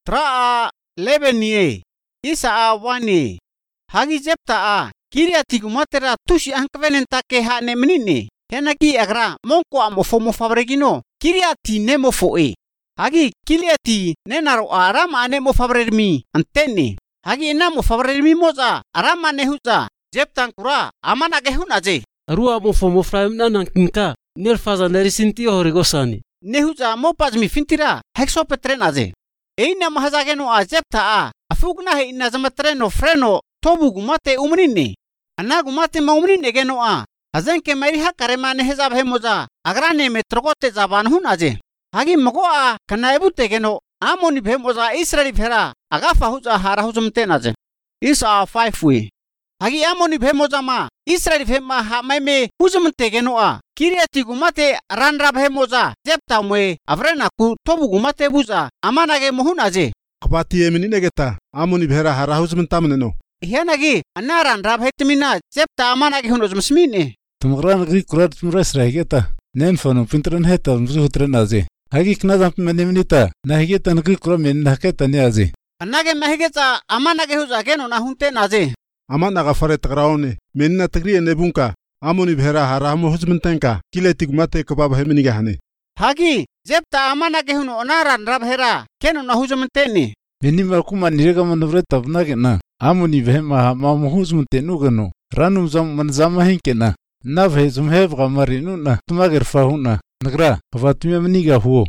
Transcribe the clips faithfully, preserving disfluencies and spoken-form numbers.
Traa lebenie isa wane hagi jepta kiriati gumatera tushi ankvenenta ke ha ne menine henaki agra monko amofo mofabregino kiriati nemofoe hagi kiriati nenaro arama ane mofabremi antene hagi namo fabremi moza arama nehuza jeptan kura amana gehunaje arua mofo mofraimna nankinka nerfaza nerisinti horigosani nehuza mopazmi fintira hexopetrenaje eina mahazageno a jepta a afugna he ina zamatreno freno tobu gumate umnine ana gumate maumnine geno a hazenke meri hakare mane hezab hemoza agrane metrogote zaban hunaje hagi mago a kanaibute geno amoni bhemoza israeli phera agafa huza hara huzumtenaje isa five we hagi amoni bhemoza ma israeli phema ha meme huzumte geno a kiriati gumate ranra bhemoza jepta mwe avrena ku tobu gumate buza amanage mohunaje Kapati eminine geta amoni bhera hara huzumtamneno hianagi anaran rab hetmina jepta amanage hunozmsmine tumgran gri kurat tumras rahgeta nen fono pintran heta mzuhutran aze hagi knazam meneminita nahigeta ngri kuram men nahketa ne aze anage mahigeta amanage huzageno na hunte naze amana gafare tagraone menna tagri nebunka amoni bhera hara huzumtanka kileti gumate kabab heminiga hane hagi jepta amanage huno onaran rab hera keno na huzumteni Beni malkuma nirega manuvre tabna kena amoni bhema ma muhuzumte nugano ranum zam manzama hinkena na bhezum hebga marinu na tumager fahuna nagra vatumya mniga huo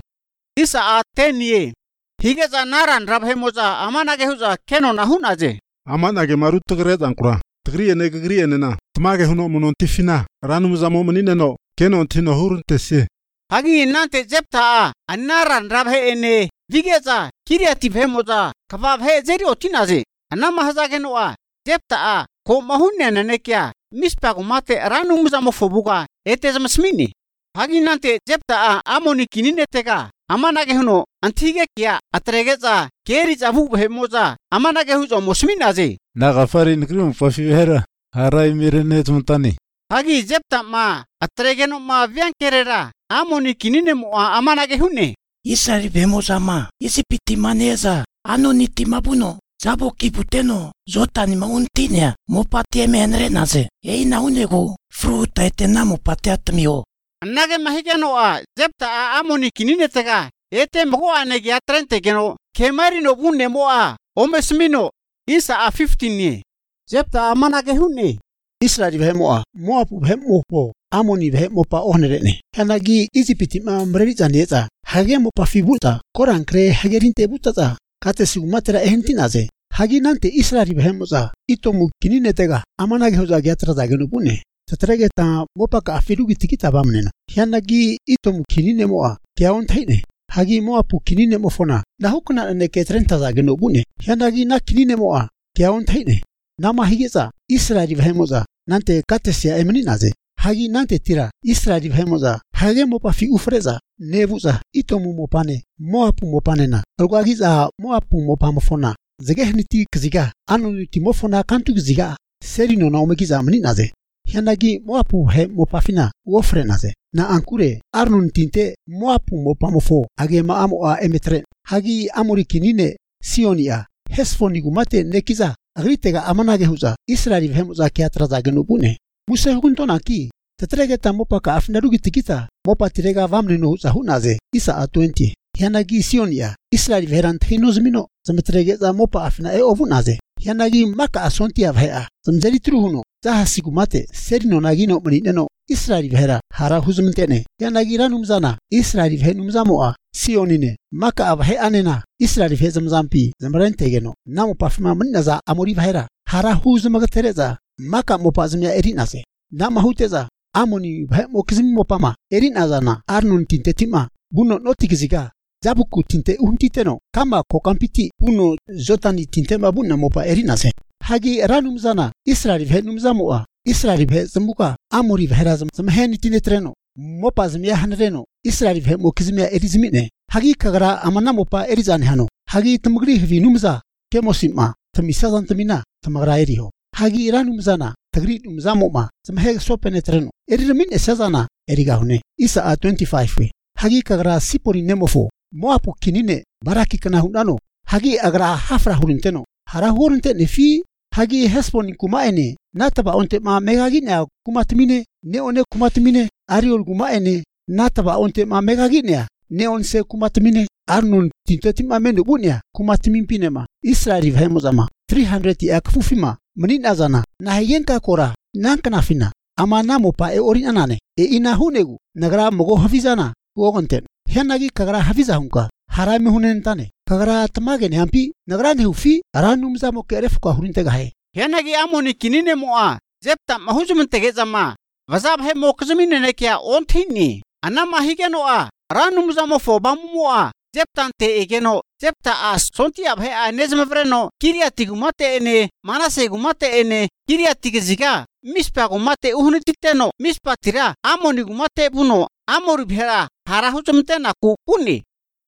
isa atenie higeza naran rab hemoza amanage huza keno na hunaje amanage marut tagre dankura tagri ene gri ene na tumage huno monontifina ranum zamo menine no keno tino hurunte se hagi nante jepta anaran rab he ene vigeza kiriati bhemoza kabab he zeri otinaje anama hazageno a jepta a ko mahunne nene kya mispa gumate ranum zamo fobuga etezmasmini hagi nante jepta a amoni kinine tega amanage huno antige kya atregeza keri zabu bhemoza amanage huzo mosminaje na gafari ngrim pafihera harai mirene tumtani hagi jepta ma atregeno ma vyankerera amoni kinine mo amanage hunne Isari bhemoza ma isipiti maneza anoniti mabuno zabo kiputeno zotani mauntinia mopati emenre naze eina unego fruta etena mopati atmio anage mahigeno a jepta a amoni kinine tega ete mgo anege atrente geno kemari no bunne mo a omesmino isa a fifteen ni jepta amanage hunne Israeli bhemo a moapu bhemo po amoni bhemo pa onerene hanagi izipiti ma mreriza neza hage mo pa fibuta korankre hagerinte butata kate sigumatera ehentinaze hagi nante Israeli bhemo za itomu kinine tega amanage hoza gyatra dagenu bune tatrege ta mopa ka afirugi tikita bamnena hanagi itomu kinine mo a kyaon thaine hagi moapu kinine mo fona na hukuna ne ke trenta dagenu bune hanagi na kinine mo a kyaon thaine nama higeza Israeli bhemoza nante katesia emeninaze hagi nante tira Israeli bhemoza hage mopa fi ufreza nebuza itomu mopane moapu mopanena algwagiza moapu mopamofona zegehniti kziga anoniti mofona kantu kziga serino na omegiza meninaze hanagi moapu he mopafina wofrenaze na ankure arnon tinte moapu mopamofo age ma amo a emetre hagi amori kinine sionia hesfoni gumate nekiza agritega amanage huza Israeli bhemoza kyatra zagenu bune muse hukuntona ki tatrege ta mopa ka afnarugi tikita mopa tirega vamne no huza hunaze isa a twenty yanagi sionia Israeli verant hinozmino zametrege za mopa afna e ovunaze yanagi maka asontia bhea zamzeri truhuno zaha sigumate serino nagino mnineno Israeli vera hara huzumtene yanagi ranumzana Israeli venumzamoa sionine maka abhe anena Israeli vezamzampi zamrentegeno namo pafma mnaza amori vera hara huzumagatereza maka mopazmya erinase nama huteza amoni bhe mokizmi mopama erinazana arnun tintetima buno notikiziga zabuku tinte untiteno kama kokampiti uno zotani tintema bunna mopa erinase hagi ranumzana Israeli venumzamoa Israeli bhe zambuka amori vera zamheni tinetreno mopa zamya hanreno Israeli bhe mokizmya erizmine hagi kagara amana mopa erizane hano hagi tumgri vinumza kemosima tamisazan tamina tamagra eriho hagi iranumzana tagri umzamo ma zamhe sopenetreno erimin esazana erigahune isa a twenty-five we hagi kagara sipori nemofo moapu kinine baraki kana hunano hagi agra hafra hurinteno hara hurinte ne fi hagi hespon kumaene nataba onte ma megagina kumatmine ne one kumatmine ariol kumaene nataba onte ma megagina ne onse kumatmine arnon tintetima mendo bunya kumatmin pinema Israeli vahemozama three hundred ya kfufima menina zana na hayenka kora nankana fina amana mopa e orin anane e ina hunegu nagra mogo hafizana wogonten henagi kagra hafiza hunka harami hunen tane kagra tamage ne hampi nagra ne hufi aranum zamo keref ka hurinte gahe henagi amoni kinine moa zepta mahuzum tegezama vazab he mokzumine ne kya onthini anama higenoa aranum zamo fobamoa zeptante egeno zepta as sonti abhe anezmevreno kiriatigumate ene manase gumate ene kiriatigziga mispa gumate uhnititeno mispa tira amoni gumate buno amori bhera harahuzumte na kukuni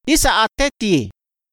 isa ateti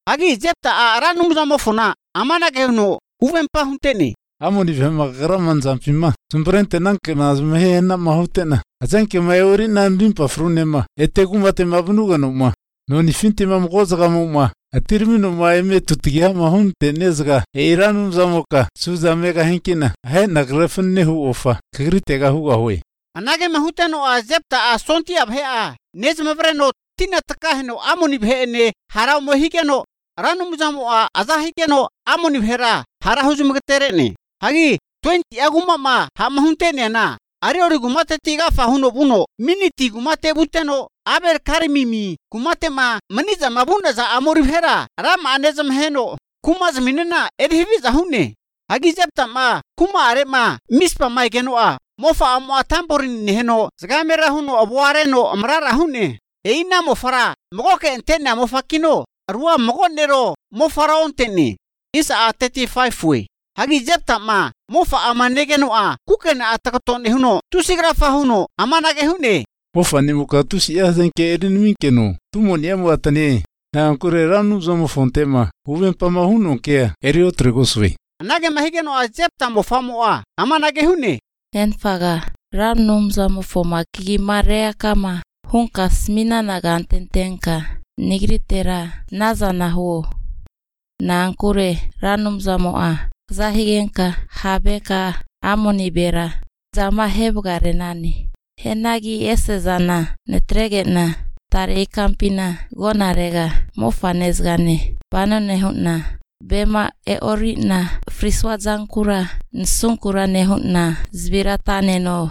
agi zepta aranum zamo fona amana geno uvempa hunteni amoni vema graman zampima sumprente nanke nazmehe na mahutena azanke mayori nandimpa frunema etegumate mabnugano ma noni finti mamgoza gamuma atirmino maime tutigia mahun tenezga eiranum zamoka suzamega henkina he nagrefne hu ofa kritega hu ahoy anage mahuteno azepta a sonti abhe a nezmevreno tina takaheno amoni bhene hara mohigeno ranum zamo a azahigeno amoni bhera hara huzumgeterene hagi twenty aguma ma hamhuntene na ariori gumate tiga fahuno buno miniti gumate buteno aber karimimi kumate ma maniza mabunda za amori bhera ram anezam heno kumaz minena edhivi zahune hagi zepta ma kuma are ma mispa mai geno a mofa amwa tamporin heno zagamera huno abwareno amrara hune eina mofara mogoke entena mofakino arwa mogonero mofara onteni isa a thirty-five we hagi zepta ma mofa amanegeno a kukena atakaton huno tusigrafa huno amanage hune mofa ni mukatusi yazenke erin minkeno tumoni amwatane na kure ranu zomo fontema uvempa mahuno ke eri otregoswe nage mahigeno a zepta mofa moa amanage hune enfaga ranum zomo foma kigi marea kama hunka smina nagantentenka nigritera nazana ho na ankure ranum zomo a zahigenka habeka amoni bera zama hebgare nani henagi esezana netregena tare kampina gonarega mofanezgane banone hunna bema e orina friswa zankura nsunkura ne hunna zbiratane no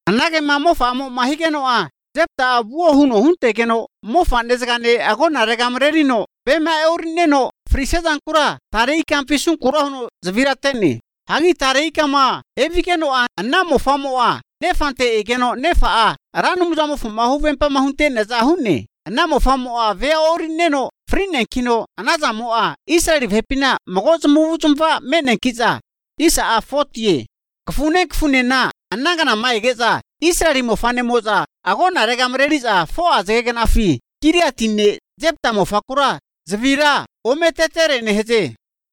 anage mamofa mo mahigeno a zepta abuo huno huntekeno mofanezgane agonarega mrerino bema e orineno frisezan kura tarei kampisun kura hono zvirateni hagi tarei kama evikeno a anamo famo a nefante egeno nefa a ranum zamo fuma huvempa mahunte nezahune anamo famo a ve orineno frinen kino anazamo a Israeli vepina magoz muvuzumva menen kiza isa a forty kfune kfune na anangana maigeza Israeli mofane moza agona regamreliza fo azegena fi kiriatine zepta mofakura zvira ometetere neheze